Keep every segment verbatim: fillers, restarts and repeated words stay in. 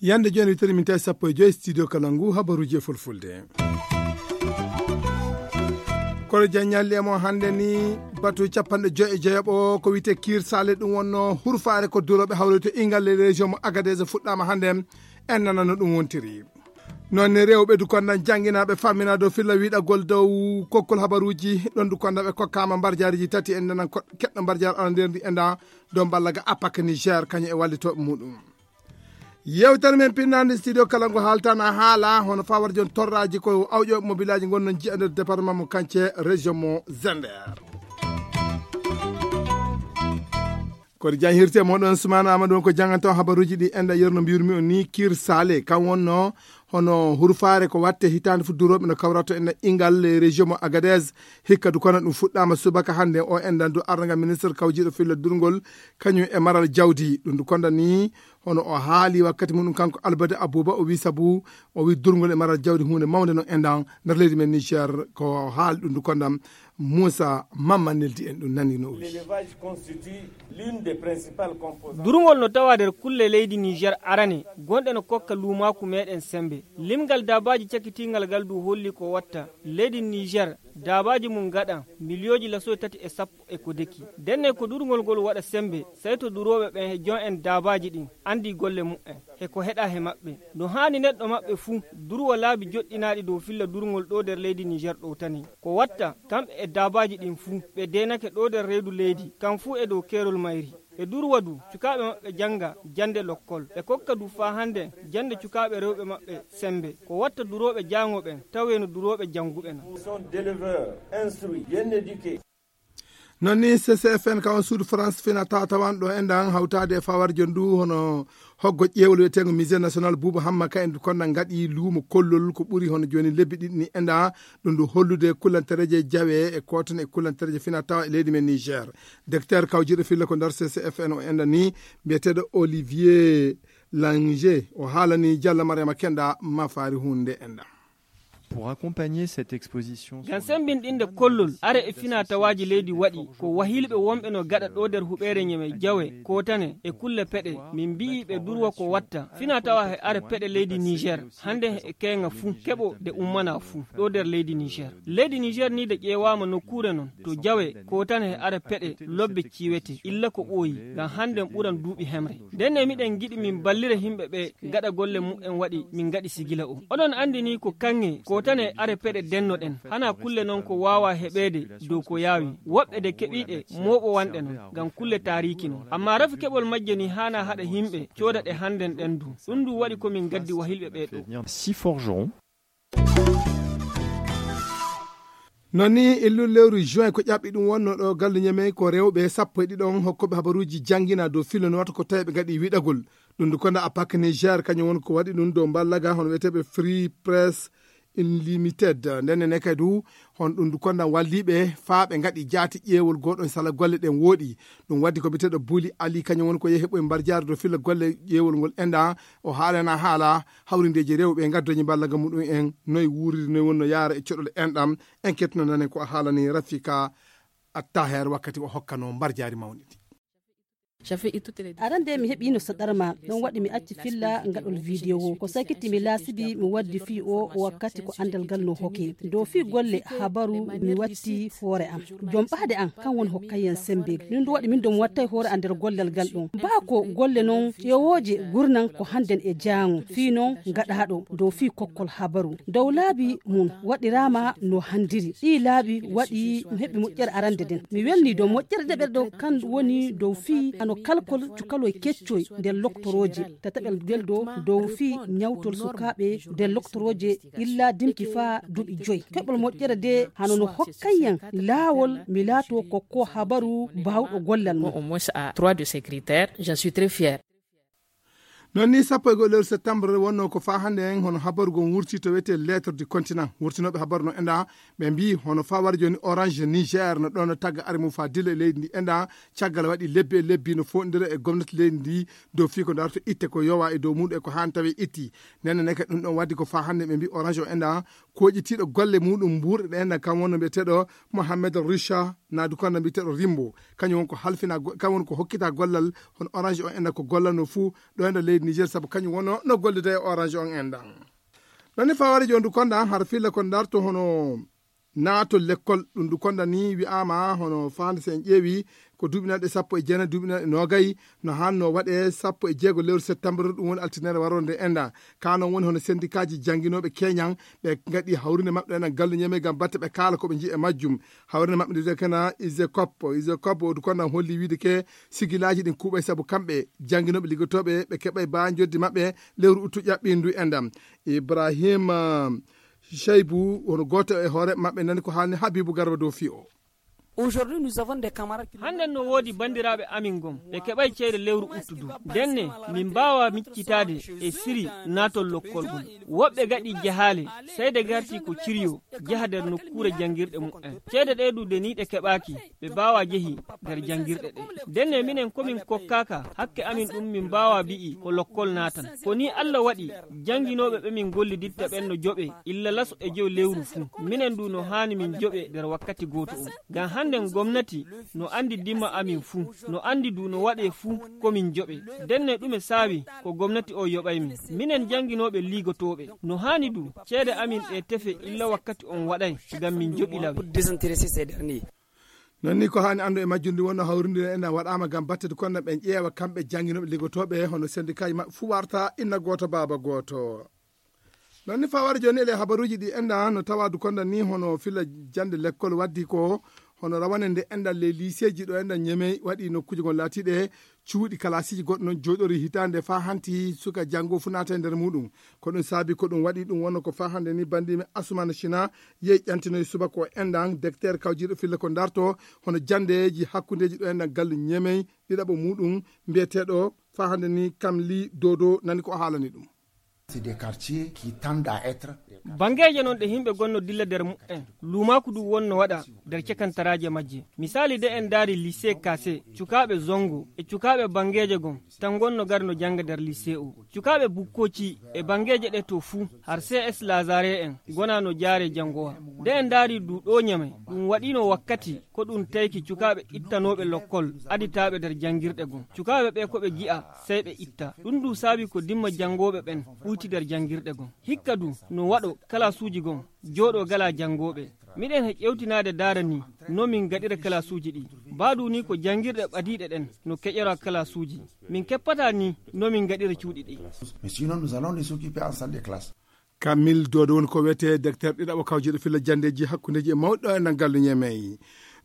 Yande jooni witiri min tawi sappo e joyi studio kala ngu habaruuji e fulfulde. Kono jan ñalli e mo hannde ni, batu capanɗe joyi e jeeɓo ko wiyte kiir sale, ɗum wonno hurfaare ko durooɓe hawri to ingal e région mo Agadez fuɗɗaama hannde. En nana no ɗum wontiri. Noon ne rewɓe du kondan jannginaaɓe fammina dow filla wiɗagol dow kokkol habaruuji ɗon du kondan ɓe kokkaama mbarjaariji tati. En nanan ko-, keɗɗo mbarjaar ala nder ndi enda dow mballaga apak Niger kañum e wallitooɓe muɗum. Yewtere men pinnande studio kala ngo haaltana haala hono fawar jon torraji ko awƴo mobilaji gonno jiya nder département mo Kance, région mo Zender. Koɗo jan hirte moɗon Sumana Amadou on ko janganto habaruji ɗi enda yerno mbiyurmi on ni Kir Sale kan wonno hono hurfaare ko watte hitande fu durooɓe no kawrato en ingal e région mo Agadez. Hikka du kono ɗum fuɗɗama subaka hannde o endan du arɗo ngal ministre kawjiɗo filla durgol kañum e maral jawdi. Ɗum du konda ni hono o haali wakkati muɗum kanko Albade Abouba, o wi sabu o wi durgol e maral jawdi hunde mawnde no endan nder leydi men Niger. Ko haali ɗum du kondam Moussa Mamma neldi en ɗum nani no o wi. Durgol no tawa nder kulle leydi Niger arane gonɗe no kokka luumaaku meɗen sembe. Limgal daabaaji cakitiingal ngal du holli ko watta leydi Niger daabaaji mum ngaɗa miliyooji lasoy tati e sappo e ko deki. Ndenne ko durgol ngol waɗa sembe, sey to durooɓe ɓen e jon en daabaaji ɗin andi golle mu'en, he ko heɗa he maɓɓe. No haani neɗɗo maɓɓe fuu, durwa laabi joɗɗinaaɗi dow filla durgol ɗo nder leydi Niger ɗowtani. Ko watta, kamɓe e daabaaji ɗin fuu, ɓe deenake ɗo nder reedu leydi, kam fuu e dow keerol mayri. Ɓe durwa du, cukaaɓe maɓɓe jannga jannde lokkol. Ɓe kokka du faa hannde jannde cukaaɓe rewɓe maɓɓe sembe. Ko watta durooɓe jaango ɓen, tawee no durooɓe jannguɓe na. Sont d'éleveurs instruits, bien éduqués. Noon ni C C F N ka on suudu France fina tatawan ɗo enɗan hawtaade e fawarjo ndu hono hoggo ƴeewol wiyeteengo Musée National Buuba Hamma ka en konda ngaɗi luumo kollol ko ɓuri hono jooni lebbi ɗiɗi ni enɗan ɗum ndu hollude kullantereeje jawe e kootan e kullantereeje fina tawa e leydi men Niger. Docteur kawjiɗo filla ko nder C C F N o enɗan ni mbiyeteeɗo Olivier Lange o haalani Jalla Mariama Kenda mafaari hunde enɗan. Pour accompagner cette exposition ngam sembinɗinde kollol are e fina tawaaji leydi waɗi ko wahilɓe wonɓe no gaɗa ɗo nder huɓeere ñeme jawe kootane e kulle peɗe min mbi'i ɓe durwa ko watta fina tawa he are peɗe leydi Niger hannde e keeŋa fuu keɓo de ummana fuu ɗo nder leydi Niger. Leydi Niger ni de ƴeewaama nokkuure non to jawe kootane he are peɗe lobbe ciwete illa ko ɓooyi ngam hannden ɓuran duuɓi hemre. Ndenne miɗen ngiɗi min ballira himɓe ɓe gaɗa golle mu'en waɗi min gaɗi sigila o. Oɗon anndi ni ko kaŋŋe ko tan e are peɗe dennoɗen. Hana kulle non ko waawa heɓeede dow ko yaawi. Woɓɓe de keɓiiɗe mooɓowanɗe non ngam kulle taariiki non. Amma rafi keɓol majje ni haana haɗa himɓe cooda ɗe hannden ɗen du. Ɗum du waɗi ko min gaddi wahilɓe ɓe ɗo. Si forgeron. Noon ni e lewru juin ko ƴaɓɓi ɗum wonno ɗo gallu ñamey ko rewɓe sappo e ɗiɗon hokkoɓe habaruuji janngina dow fillo no wata ko tawi ɓe ngaɗi wiɗagol. Ɗum ndu konda apak Niger kañum woni ko waɗi ɗum dow mballaga hono wiyeteeɓe Free Press Unlimited. Ndenne ne kadi du hon ɗum ndu konda walliɓe faa ɓe ngaɗi jaati ƴeewol goɗon sala golle ɗen wooɗi. Ɗum waddi ko biyeteeɗo Buli Ali kañum woni ko yehi heɓoy mbarjaari dow filla golle ƴeewol ngol enɗan. O haalana haala hawrindeeji rewɓe ngaddoji mballaga muɗum en noy wuuriri noy wonno yaara e coɗol enɗam. En kettuno nanen ko a haalani Rafika Attaher wakkati o hokkano mbarjaari mawndi ndi. Arande mi heɓiino saɗarma ɗon waɗi mi acci filla ngaɗol video ko sakiti mi laasibi mi waddi fii o wakkati ko andal ngal no hoke dow fii golle habaru mi watti hoore am. Jom ɓaade an kan woni hokkayyan sembe min ɗum waɗi min ɗum wattay hoore an nder gollal ngal ɗum baa ko golle non ƴeewooje gurnan ko hannden e jaango fii non ngaɗaaɗo dow fii kokkol habaru dow laabi mum waɗiraama no hanndiri ɗii laabi waɗi mi heɓi moƴƴere arande nden mi welni dow moƴƴere ɗeɓel ɗo kan woni dow fii hano kalkol cukaloy keccoy nder loktorooje tataɓel ngel ɗo dow fii ñawtol sukaaɓe nder loktorooje illa dimki faa duuɓi joy keɓol moƴƴere de hano no hokkayyan laawol mi laato kokko habaru baawɗo gollal mum. Au moins à trois de ces critères, j'en suis très fier. Noon ni, sappo e go'o lewru septembre wonnoo ko faa hannde en, hono habaru ngon wurtii to wiyetee Lettre du Continent. Wurtinooɓe habaru no enɗa, ɓe mbii hono faa wara jooni Orange Niger no ɗoon no tagga ari mum faa dilla e leydi ndi enɗa, caggal waɗi lebbi e lebbi no foonɗindira e gomnati leydi ndi dow fii ko darto itte ko yowaa e dow muuɗum e ko haani tawee itti. Ndenne ne kadi ɗum ɗoon waɗi ko faa hannde ɓe mbii Orange o enɗa kooƴitiiɗo golle muuɗum mbuurɗe ɗe enɗa, kam wonno mbiyeteeɗo Mohamed Richa Nadu Konda mbiyeteeɗo Rimbo. Kañum won ko halfina go-, kañum won ko hokkita gollal hono Orange o enɗa ko gollanoo fuu ɗo enɗa leydi Niger, sabu kañum wonno no gollude e Orange on enɗa. Ɗon ni faa wari jooni ndu konda hara filla ko darto hono naato lekkol, ɗum ndu konda ni wi'aama hono faande so en ƴeewi ko duuɓi nanɗe sappo e jeenayi, duuɓi nanɗe noogay, no haanno waɗe sappo e jeego lewru septembre, ɗum woni altine waroore nde enɗa. Ka noon woni hono sendikaaji jannginooɓe keñan, ɓe ngaɗi hawrinde maɓɓe enen gallu ñeme ngam batte ɓe kaala ko ɓe nji'i e majjum. Hawrinde maɓɓe nde kana Isecop, Isecop o du konda holli wiide ke sigilaaji ɗin kuuɓay sabu kamɓe jannginooɓe liggotooɓe ɓe keɓay baa njoddi maɓɓe lewru uttu ƴaɓɓindu enɗa. Ibrahim, ah, Shaibu, hono gooto e hoore maɓɓe, nani ko haalni Habibu Garba dow fii o. Aujourd'hui, nous avons des camarades qui Hannden no woodi banndiraaɓe amin gom, ɓe keɓay ceede lewru uttu du. Ndenne, min mbaawaa miccitaade e siri naatol lokkol ngol. Woɓɓe gaɗi jahaale, sey de garti ko ciriyo, jaha nder nokkuure janngirɗe muɓɓen. Ceede ɗe du de ni ɗe keɓaaki, ɓe mbaawaa jehi nder janngirɗe ɗe. Ndenne minen ko min kokkaaka, hakke amin ɗum min mbaawaa bi'i ko lokkol naatan. Ko ni Alla waɗi, jannginooɓe ɓe min golliditta ɓen no joɓe illa laso e jow lewru fuu. Minen du no haani min joɓe nder wakkati gooto on. Ngam hannden gomnati no anndi dimma amin fuu, no anndi du no waɗee fuu ko min joɓe. Ndenne ɗume saawi ko gomnati o yoɓay min? Minen jannginooɓe liigotooɓe, no haani du ceede amin ɗe tefe illa wakkati on waɗay ngam min joɓi lawe. Pour désintéresser ces derniers. Noon ni ko haani anndu e majjum ndi wonno hawrinde en waɗaama ngam batte du konda ɓen ƴeewa kamɓe jannginooɓe liggotooɓe hono sendikaaji maɓɓe fuu warta inna gooto baaba gooto. Noon ni faa wari jooni ele habaruuji ɗi enɗa no tawa du konda ni hono filla jannde lekkol waddi ko hono rawane nde enɗa ley liiseeji ɗo enɗa ñemey waɗi nokkuuje ngon laatiiɗe cuuɗi kalaasiiji goɗɗo noon jooɗori hitaande faa hanti suka janngo fuu naata e nder muuɗum. Ko ɗum saabi ko ɗum waɗi ɗum wonno ko faa hannde ni banndiimi Asumana Sina yehi ƴantinoyi subaka o enɗan dekteer kawjiiɗo filla ko darto hono janndeeji hakkundeeji ɗo enɗan gallu ñemey ɗiɗaɓo muuɗum mbiyeteeɗo faa hannde ni Kamli Dodo nani ko o haalani ɗum. C'est des quartiers qui tendent à être Banngeeje noon ɗe yimɓe gonno dilla nder muɓɓen, luumaaku du wonno waɗa nder cekantaraaje majje. Misaali de en ndaari lycée Kase, cukaaɓe Zongo e cukaaɓe banngeeje gon tan gonno gari no jannga nder lycée o. Cukaaɓe Bukkoci e banngeeje ɗe to fuu, har C S Lazare en, gona no jaare janngowa. De en ndaari du ɗo Ñamey, ɗum waɗiino wakkati ko ɗum tayki cukaaɓe ittanooɓe lokkol aditaaɓe nder janngirɗe gon. Cukaaɓe ɓe ko ɓe gi'a, sey ɓe itta. Ɗum du saabi ko dimma janngooɓe ɓen ɓuyti nder janngirɗe gon. Hikka du no waɗo kalaasuuji gon, jooɗo gala janngooɓe. Miɗen he ƴewtinaade daara ni, no min gaɗira kalaasuuji ɗi. Baa du ni ko janngirɗe ɓadiiɗe ɗen no keƴora kalaasuuji. Min keppataa ni, no min gaɗira cuuɗi ɗi. Mais sinon, nous allons nous occuper ensemble des classes. Kamil Dodo woni ko wiyetee dekteer ɗiɗaɓo kawjiiɗo filla janndeeji hakkundeeji e mawɗo e nan gallu Ñemey.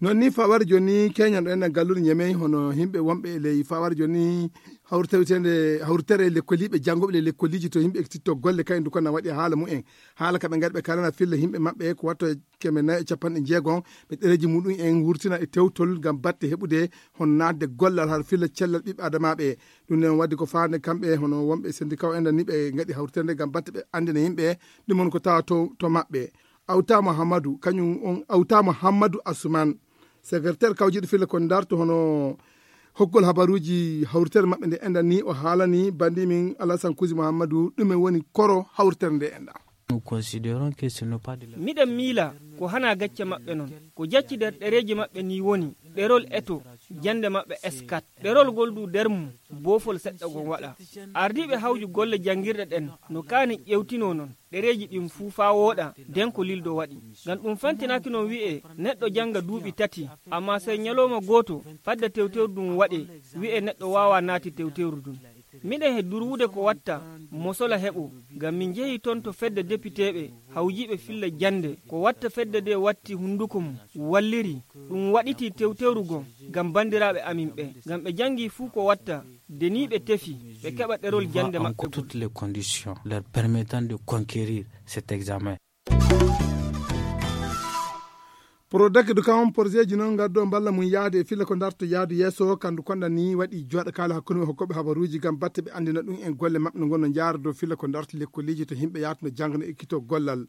Noon ni fawar jooni keñan ɗo e nan galluɗo Ñemey, hono yimɓe wonɓe e ley fawar jooni hawri tawiteende hawritere e lekkoliiɓe janngooɓe ley lekkoliji to yimɓe ekkititto golle kayen du ko na waɗi haala mumen. Haala ka ɓe ngari ɓe kalana filla yimɓe maɓɓe ko watto e keme nayi e capanɗe jeegom ɓe ɗereeji muɗum en wurtina e tewtol ngam batte heɓude hono naatde gollal har filla cellal ɓiɓɓe adamaaɓe. Ɗum nen waɗi ko faande kamɓe hono wonɓe sendika o enɗan ni ɓe ngaɗi hawriterde ngam batte ɓe anndina yimɓe ɗum woni ko tawa to, to maɓɓe. Awta Muhammadu, kañum on Awta Muhammadu Asuman, secrétaire kawjiiɗo filla ko darto hono hokkol habaruuji hawritere maɓɓe nde enɗan ni o haalani bandi min Alasan Kusi Muhammadu ɗume woni koro hawritere nde enɗan. Nous considérons que ce n'est pas de la Miɗen miila ko hana gacce maɓɓe non. Ko jacci nder ɗereeji maɓɓe ni woni ɗerol eto jannde maɓɓe S quatre. Ɗerol ngol du nder mum boofol seɗɗa ngon waɗa. Ardiiɓe hawju golle janngirɗe ɗen no kaani ƴewtinoo non ɗereeji ɗin fuu faa wooɗa nden ko lildo waɗi. Ngam ɗum fentinaaki non wi'ee neɗɗo jannga duuɓi tati, ammaa sey ñalooma gooto fadde tewteeru ndun waɗee wi'ee neɗɗo waawaa naati tewteeru ndun. Miɗen he durwude ko watta mosola heɓo, ngam min njehii ton to fedde depiteeɓe hawjiiɓe filla jannde. Ko watta fedde nde watti hunnduko mum, walliri, ɗum waɗitii tewtewru goo ngam banndiraaɓe amin ɓe, ngam ɓe janngii fuu ko watta, de nii ɓe tefi, ɓe keɓa ɗerol jannde maɓɓe ngol. Toutes les conditions leur permettant de conquérir cet examen. Prodec du kam porzeji noon ngardo mballa mum yahde e filla ko darto yahdu yeeso kandu konda ni waɗi joɗo kala hakkunde hokkooɓe habaruuji ngam batte ɓe anndina ɗum en golle maɓɓe no ngonno jaara dow filla ko darto lekkoliiji to yimɓe yahtuno jangno ekkito gollal.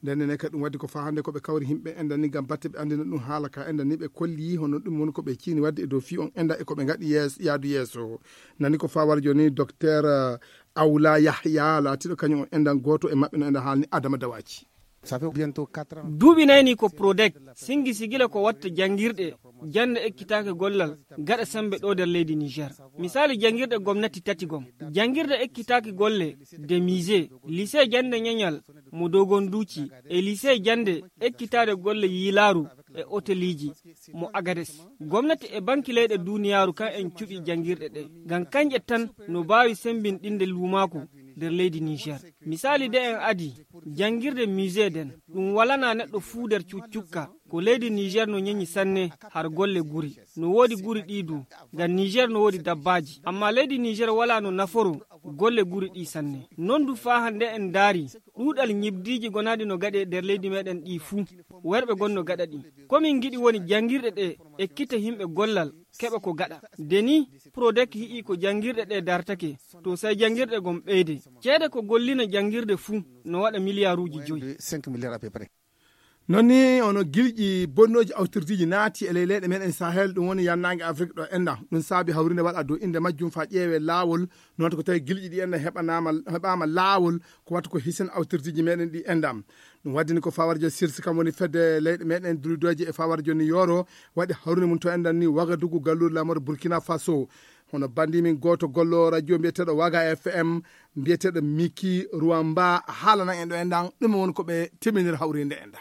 Nden ne kadi ɗum waddi ko faa hannde ko ɓe kawri yimɓe enɗan ni ngam batte ɓe anndina ɗum haala ka enɗan ni ɓe kolli hono ɗum woni ko ɓe ciini wadde e dow fii on enɗan e ko ɓe ngaɗi yees yahdu yeeso. Nani ko faa wara jooni docteur Awla Yahya laatiiɗo kañum on enɗan gooto e maɓɓe no enɗan haalni Adama Dawaji. Duuɓi nay ni ko Prodec singi sigila ko watta janngirɗe jannde ekkitaake gollal gaɗa semmbe ɗo nder leydi Niger. Misaali janngirɗe gomnati tati gom. Janngirde ekkitaake golle de musée, lycée jannde ñañal mo Dogonduuci e lycée jannde ekkitaade golle yiilaaru e oteliiji mo Agades. Gomnati e banki leyɗe duuniyaaru kan en cuɓi janngirɗe ɗe. Ngam kañƴe tan no mbaawi semmbinɗinde luumaaku nder leydi Niger. Misaali de en adi janngirde musée den ɗum walanaa neɗɗo fuu nder cuccukka. Ko leydi Niger no ñeñi sanne har golle guri. No woodi guri ɗii du. Ngam Niger no woodi dabbaaji. Amma leydi Niger walaa no naforo golle guri ɗii sanne. Non du faa hannde en ndaari ɗuuɗal ñibdiiji gonaaɗi no gaɗe nder leydi meɗen ɗii fuu. Werɓe gon no gaɗa ɗi. Ko min ngiɗi woni janngirɗe ɗe ekkita yimɓe gollal keɓa ko gaɗa. De ni Prodec hi'i ko janngirɗe ɗe dartake to say janngirɗe gon ɓeyde. Ceede ko gollina janngirde fuu no waɗa miliyaaruuji joyi. Noon ni ono gilƴi bonnooji awtirdiiji naati e ley leyɗe meɗen Sahel ɗum woni yannaange Afrik ɗo enɗan. Ɗum saabi hawrinde waɗa dow innde majjum faa ƴeewee laawol. Noon ko tawi gilƴi ɗi enɗan heɓanaama heɓaama laawol ko watta ko hisina awtirdiiji meɗen ɗi enɗan. Ɗum waddini ko faa wara jooni sirsi kam woni fedde leyɗe meɗen duridoje e faa wara jooni yooro waɗi hawrinde mum to enɗan ni Wagadugu galluure laamorde Burkina Faso. Hono bandi min gooto gollo radio mbiyeteeɗo Waga F M mbiyeteeɗo Miki Ruwamba haalana en ɗo enɗan ɗum woni ko ɓe teminir hawrinde enɗan.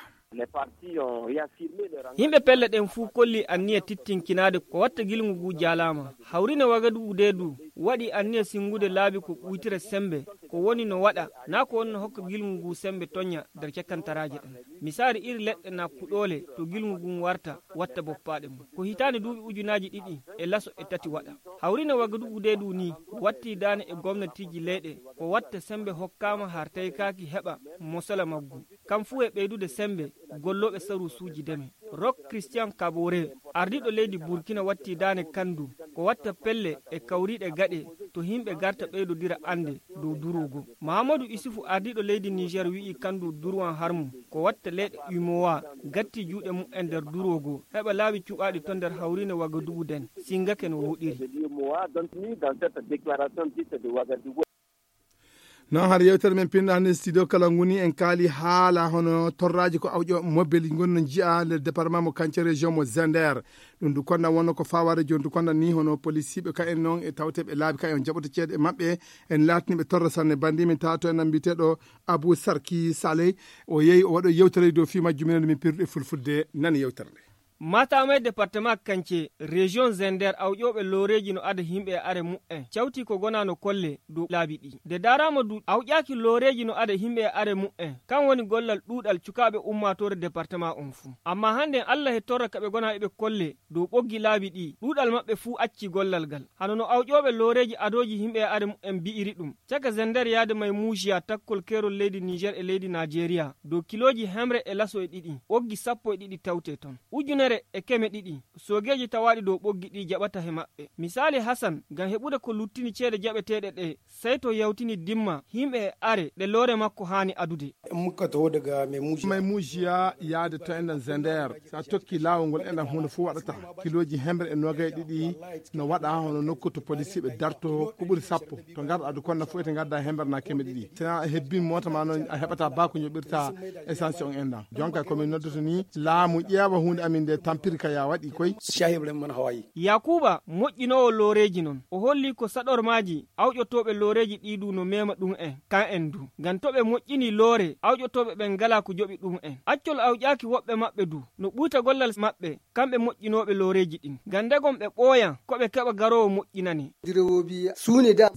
Yimɓe pelle ɗen fuu kolli anniya tittinkinaade ko watta gilngu ngu jaalaama. Hawrine Wagadugu dee du waɗi anniya sinngude laabi ko ɓuytira semmbe ko woni no waɗa naa ko woni no hokka gilngu ngu semmbe toñña nder cakkantaraaje ɗen. Misaali iri leɗɗe naa kuɗoole to gilngu ngun warta watta boppaaɗe mum. Ko hitaande duuɓi ujunaaji ɗiɗi e laso e tati waɗa. Hawrine Wagadugu dee du nii watti daane e gomnatiiji leyɗe ko watta semmbe hokkaama har taykaaki heɓa mosola maggu. Kam fuu e ɓeydude semmbe gollooɓe saruusuuji deme. Rok Christian Kabore, ardiiɗo leydi Burkina watti daane kan du ko watta pelle e kawriiɗe gaɗe to yimɓe garta ɓeydodira annde dow duroogo. Mahamadou Issoufou ardiiɗo leydi Niger wi'i kan du durwan har mum ko watta leyɗe umowa gatti juuɗe mum en nder duroogo heɓa laawi cuɓaaɗi to nder hawriine Wagadugu den singake no wooɗiri. Non har yewtere men pinɗo hannde studio kala nguni en kaali haala hono torraaji ko awƴo mobel ngonno njiya nder département mo Kance région mo Zender. Ɗum du konna wonno ko fawaade jooni du konna ni hono polisiiɓe ka en noon e tawteeɓe laabi ka en jaɓoto ceede e maɓɓe. En laatiniɓe torra sanne bandi min tato en mbiteɗo Abou Sarki Saleh. O yehi o waɗo yewtere dow fii majjum minen min pirduɗe fulfulde nani yewtere nde. Matamay département Kance région Zender awƴooɓe looreeji no ada himɓe e are muɓɓen cawti ko gona no kolle dow laabi ɗi. Nde daraama du awƴaaki looreeji no ada himɓe e are muɓɓen kan woni gollal ɗuuɗal cukaaɓe ummaatoore département on fuu. Amma hannden Allah e torra ka ɓe gona eɓe kolle dow ɓoggi laabi ɗi ɗuuɗal maɓɓe fuu acci gollal ngal. Hano no awƴooɓe looreeji adooji himɓe e are muɓɓen bi'iri ɗum. Caka Zender yaade may muujiya takkol keerol leydi Niger e leydi Najeriya dow kilooji hemre e laso e ɗiɗi ɓoggi sappo e ɗiɗi tawte ton. Ujunere e keme ɗiɗi soogeeji tawaaɗi dow ɓoggi ɗi jaɓata he maɓɓe. Misaali Hasan ngam heɓude ko luttini ceede jaɓeteeɗe ɗe sey to yawtini dimma himɓe e are ɗe loore makko haani adude. May muujiya yaade to enɗan Zender. So a tokki laawol ngol enɗan huunde fof waɗata. Kilooji hemre e noogay ɗiɗi no waɗa hono nokku to polisiiɓe darto ko ɓuri sappo. To ngarɗa du konna fof ete ngadda hemre na keme ɗiɗi. Sina a hebbin moota ma noon a heɓata ba ko njoɓirta essence on enɗan. Jonka ko min noddoto ni laamu ƴeewa huunde amin nde tampiri ka ya waɗi koy. Yakuuba moƴƴinoowo looreeji noon o holli ko saɗormaaji awƴotooɓe looreeji ɗii du no meema ɗum en kan en du. Ngam to ɓe moƴƴinii loore awƴotooɓe ɓen ngalaa ko joɓi ɗum en. Accol awƴaaki woɓɓe maɓɓe du no ɓuyta gollal maɓɓe kamɓe moƴƴinooɓe looreeji ɗin. Ngam ndegon ɓe ɓooyan ko ɓe keɓa garoowo moƴƴinane.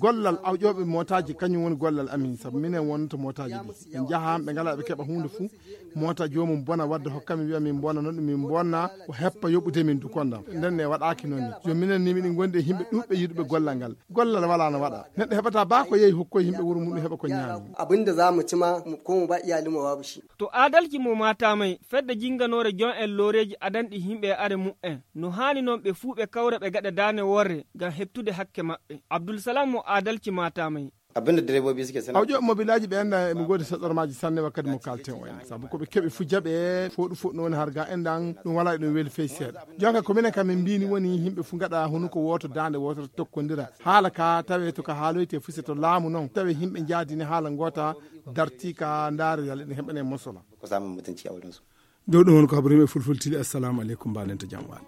Gollal awƴooɓe mootaaji kañum woni gollal amin sabu minen wonnoto mootaaji ɗi. Ɓe njaha ɓe ngalaa ɓe keɓa huunde fuu moota joomum bona wadde hokka min wiya min bona noon ɗum min bonna. O heppa yoɓude min du kondam. Nden ne waɗaaki noon ni. Jooni minen ni miɗen ngondi e yimɓe ɗuuɓɓe yiɗuɓe gollal ngal. Gollal walaa no waɗa. Neɗɗo heɓata baa ko yehi hokkoy yimɓe wuro mum, heɓa ko ñaami. Abin da za mu ci ma, mu, ko mu ba iyalinmu babu shi. To aadalki mo maatamay, fedde jinnganoore jon en looreeji adanɗi yimɓe e are mu'en. No haani noon ɓe fuu ɓe kawra ɓe gaɗa daane worre ngam heɓtude hakke maɓɓe. Abdul Salam mo aadalki maatamay. Abin da direbobi suke suna Awjo mobilaaji ɓe enda emi ngoodi saɗormaaji sanne wakkati mo kalten o en. Sabu ko ɓe keɓi fu jaɓe, foɗu foɗu no woni har ga endan ɗum wala ɗum weli fey seeɗa. Jonka ko minen kam min mbini woni yimɓe fu ngaɗa honu ko wooto daande wooto tokkondira. Haala ka tawe to ka haaloyte fu se to laamu noon tawe yimɓe njaadini haala ngoota darti ka ndaare yalla ɗum heɓane mosola. Ko samun mutunci a wurinsu. Dow ɗum won ko habrimi e fulfultili. Assalamu aleykum, mbaɗen to jam waali.